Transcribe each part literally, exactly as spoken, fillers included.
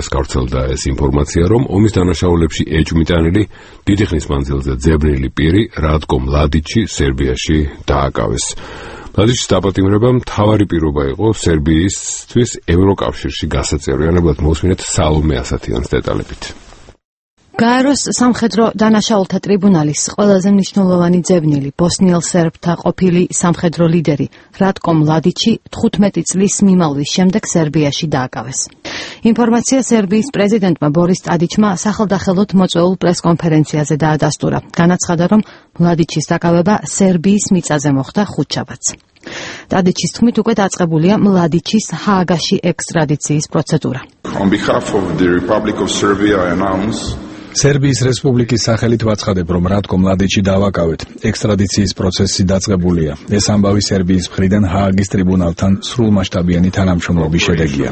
დღეს გავრცელდა ეს ინფორმაცია, რომ ომის დანაშაულებში ეჭვმიტანილი დიდი ხნის მანძილზე ძებნილი პირი რატკო მლადიჩი სერბიაში დააკავეს. მლადიჩის დაპატიმრება მთავარი პირობა იყო სერბიისთვის ევროკავშირში გასაწევრიანებლად. მოსმინეთ სალომე ასათიანის დეტალებით. გაეროს სამხედრო დანაშაულთა ტრიბუნალის ყველაზე მნიშვნელოვანი ძებნილი ბოსნიელ სერბთა ყოფილი სამხედრო ლიდერი რატკო მლადიჩი თხუთმეტი წლის მიმალვის შემდეგ სერბიაში დააკავეს. ინფორმაცია სერბიის პრეზიდენტმა ბორის ტადიჩმა სახელდახელოდ მოწვეულ პრესკონფერენციაზე დაადასტურა. განაცხადა, რომ მლადიჩის დაკავება სერბიის მიწაზე მოხდა ხუთშაბათს. ტადიჩის თქმით უკვე დაწყებულია მლადიჩის ჰააგაში ექსტრადიციის პროცედურა. On behalf of the Republic of Serbia, I announce სერბიის რესპუბლიკის სახელით ვაცხადებ, რომ რატკო მლადიჩი დავაკავეთ. ექსტრადიციის პროცესი დაწყებულია. ეს ამბავი სერბიის მხრიდან ჰააგის ტრიბუნალთან სრულმასშტაბიანი თანამშრომლობის შედეგია.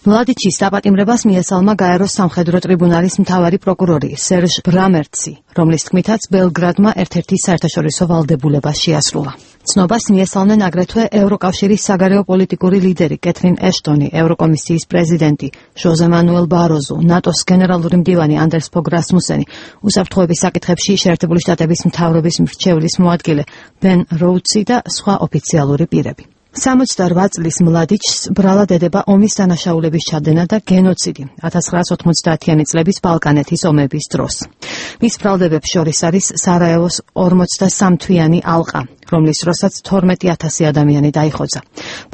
მლადიჩის დაპატიმრებას მიესალმა გაეროს სამხედრო ტრიბუნალის მთავარი პროკურორი სერჟ ბრამერცი, რომლის თქმითაც ბელგრადმა ერთ-ერთი საერთაშორისო ვალდებულება შეასრულა. ცნობას მიესალმნენ აგრეთვე ევროკავშირის საგარეო პოლიტიკური ლიდერი კეთრინ ეშტონი, ევროკომისიის პრეზიდენტი ჟოზე მანუელ ბაროზუ, ნატოს გენერალური მდივანი ანდერს ფოგ რასმუსენი, უსაფრთხოების საკითხებში შეერთებული შტატების მთავრობის მრჩევლის მოადგილე ბენ როუდსი და სხვა ოფიციალური პირები. სამოცდაორ წლის მლადიჩს ბრალად ედება ომის დანაშაულების ჩადენა და გენოციდი ათას ცხრაას ოთხმოცდაათიანი წლების ბალკანეთის ომების დროს. მის ბრალდებებს შორის არის სარაევოს ორმოცდასამ თვიანი ალყა, რომლის დროსაც თორმეტი ათასი ადამიანი დაიხოცა.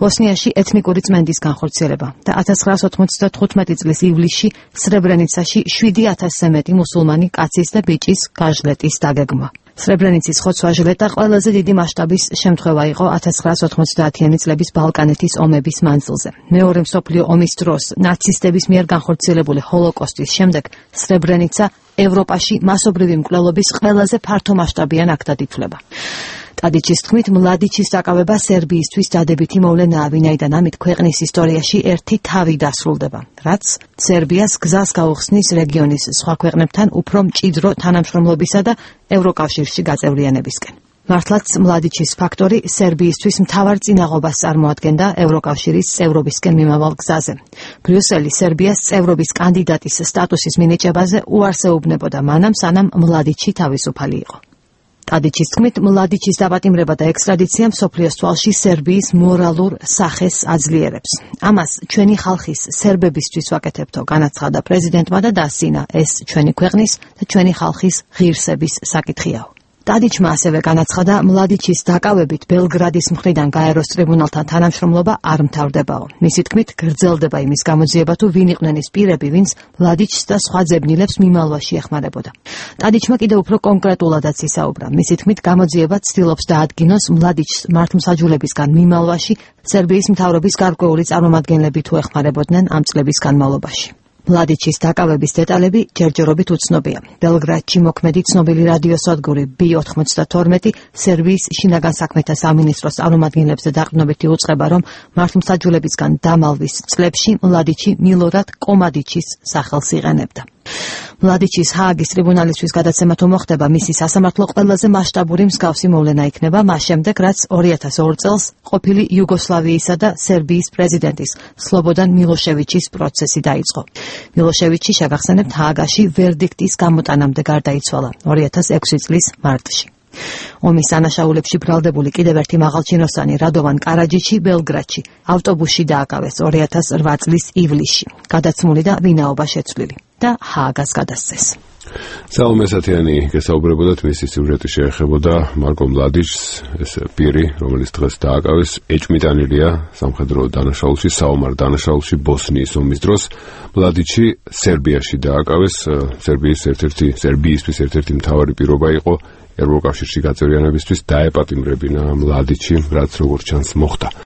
ბოსნიაში ეთნიკური წმენდის განხორციელება და ათას ცხრაას ოთხმოცდათხუთმეტი წლის ივლისში სრებრენიცაში შვიდი ათასზე მეტი მუსულმანი კაცის და ბიჭის გაჟლეტის დაგეგმვა. სრებრენიცის ხოცვა-ჟლეტა ყველაზე დიდი მასშტაბის შემთხვევა იყო ათას ცხრაას ოთხმოცდაათიანი წლების ბალკანეთის ომების მანძილზე. მეორე მსოფლიო ომის დროს ნაცისტების მიერ განხორციელებული ჰოლოკოსტის შემდეგ სრებრენიცა ევროპაში მასობრივი მკვლელობის ყველაზე ფართომასშტაბიან აქტად ითვლება. ტადიჩის თქმით, მლადიჩის დაკავება სერბიისთვის დადებითი მოვლენაა, ვინაიდან ამით ქვეყნის ისტორიაში ერთი თავი დასრულდება, რაც სერბიას გზას გაუხსნის რეგიონის სხვა ქვეყნებთან უფრო მჭიდრო თანამშრომლობისა და ევროკავშირში გაწევრიანებისკენ. მართლაც მლადიჩის ფაქტორი სერბიისთვის მთავარ წინაღობას წარმოადგენდა ევროკავშირის წევრობისკენ მიმავალ გზაზე. ბრიუსელი სერბიას წევრობის კანდიდატის სტატუსის მინიჭებაზე უარს ეუბნებოდა მანამ, სანამ მლადიჩი თავისუფალი იყო. ტადიჩის თქმით, მლადიჩის დაპატიმრება და ექსტრადიცია მსოფლიოს თვალში სერბიის მორალურ სახეს აძლიერებს. ამას ჩვენი ხალხის სერბებისთვის ვაკეთებთო, განაცხადა პრეზიდენტმა და დასცინა, ეს ჩვენი ქვეყნის და ჩვენი ხალხის ღირსების საკითხიაო. ტადიჩმა ასევე განაცხადა, მლადიჩის დაკავებით ბელგრადის მხრიდან გაეროს ტრიბუნალთან თანამშრომლობა არ მთავრდებაო. მისი თქმით, გრძელდება იმის გამოძიება, თუ ვინ იყვნენ ის პირები, ვინც მლადიჩს და სხვა ძებნილებს მიმალვაში ეხმარებოდა. ტადიჩმა კიდევ უფრო კონკრეტულადაც ისაუბრა. მისი თქმით, გამოძიება ცდილობს დაადგინოს მლადიჩს მართლმსაჯულებისგან მიმალვაში სერბიის მთავრობის გარკვეული წარმომადგენლები თუ ეხმარებოდნენ ამ წლების განმავლობაში. მლადიჩის დაკავების დეტალები ჯერჯერობით უცნობია. ბელგრადში მოქმედი ცნობილი რადიოსადგური ბი ოთხმოცდათორმეტი სერბიის შინაგან საქმეთა სამინისტროს წარმომადგენლებზე დაყრდნობით იუწყება, რომ მართლმსაჯულებისგან დამალვის წლებში მლადიჩი მილორად კომადიჩის სახელს იყენებდა. მლადიჩის ჰააგის ტრიბუნალისთვის გადაცემა თუ მოხდება, მისი სასამართლო ყველაზე მასშტაბური მსგავსი მოვლენა იქნება მას შემდეგ, რაც ორი ათას ორ წელს ყოფილი იუგოსლავიისა და სერბიის პრეზიდენტის სლობოდან მილოშევიჩის პროცესი დაიწყო. მილოშევიჩი, შეგახსენებთ, ჰააგაში ვერდიქტის გამოტანამდე გარდაიცვალა ორი ათას ექვსი წლის მარტში. ომის დანაშაულებში ბრალდებული კიდევ ერთი მაღალჩინოსანი რადოვან კარაჯიჩი ბელგრადში ავტობუსში დააკავეს ორი ათას რვა წლის ივლისში. გადაცმული და ვინაობა შეცვლილი და ჰააგას გადასცეს. სალომე ასათიანი გესაუბრებოდათ, მისი სიუჟეტი შეეხებოდა მარკო მლადიჩს, ეს პირი, რომელიც დღეს დააკავეს, ეჭვმიტანილია სამხედრო დანაშაულში, საომარ დანაშაულში ბოსნიის ომის დროს. მლადიჩი სერბიაში დააკავეს, სერბიის ერთ-ერთი სერბიისთვის ერთ-ერთი მთავარი პირობა იყო ევროკავშირში გაწევრიანებისთვის, დაეპატიმრებინა მლადიჩი, რაც როგორც ჩანს მოხდა.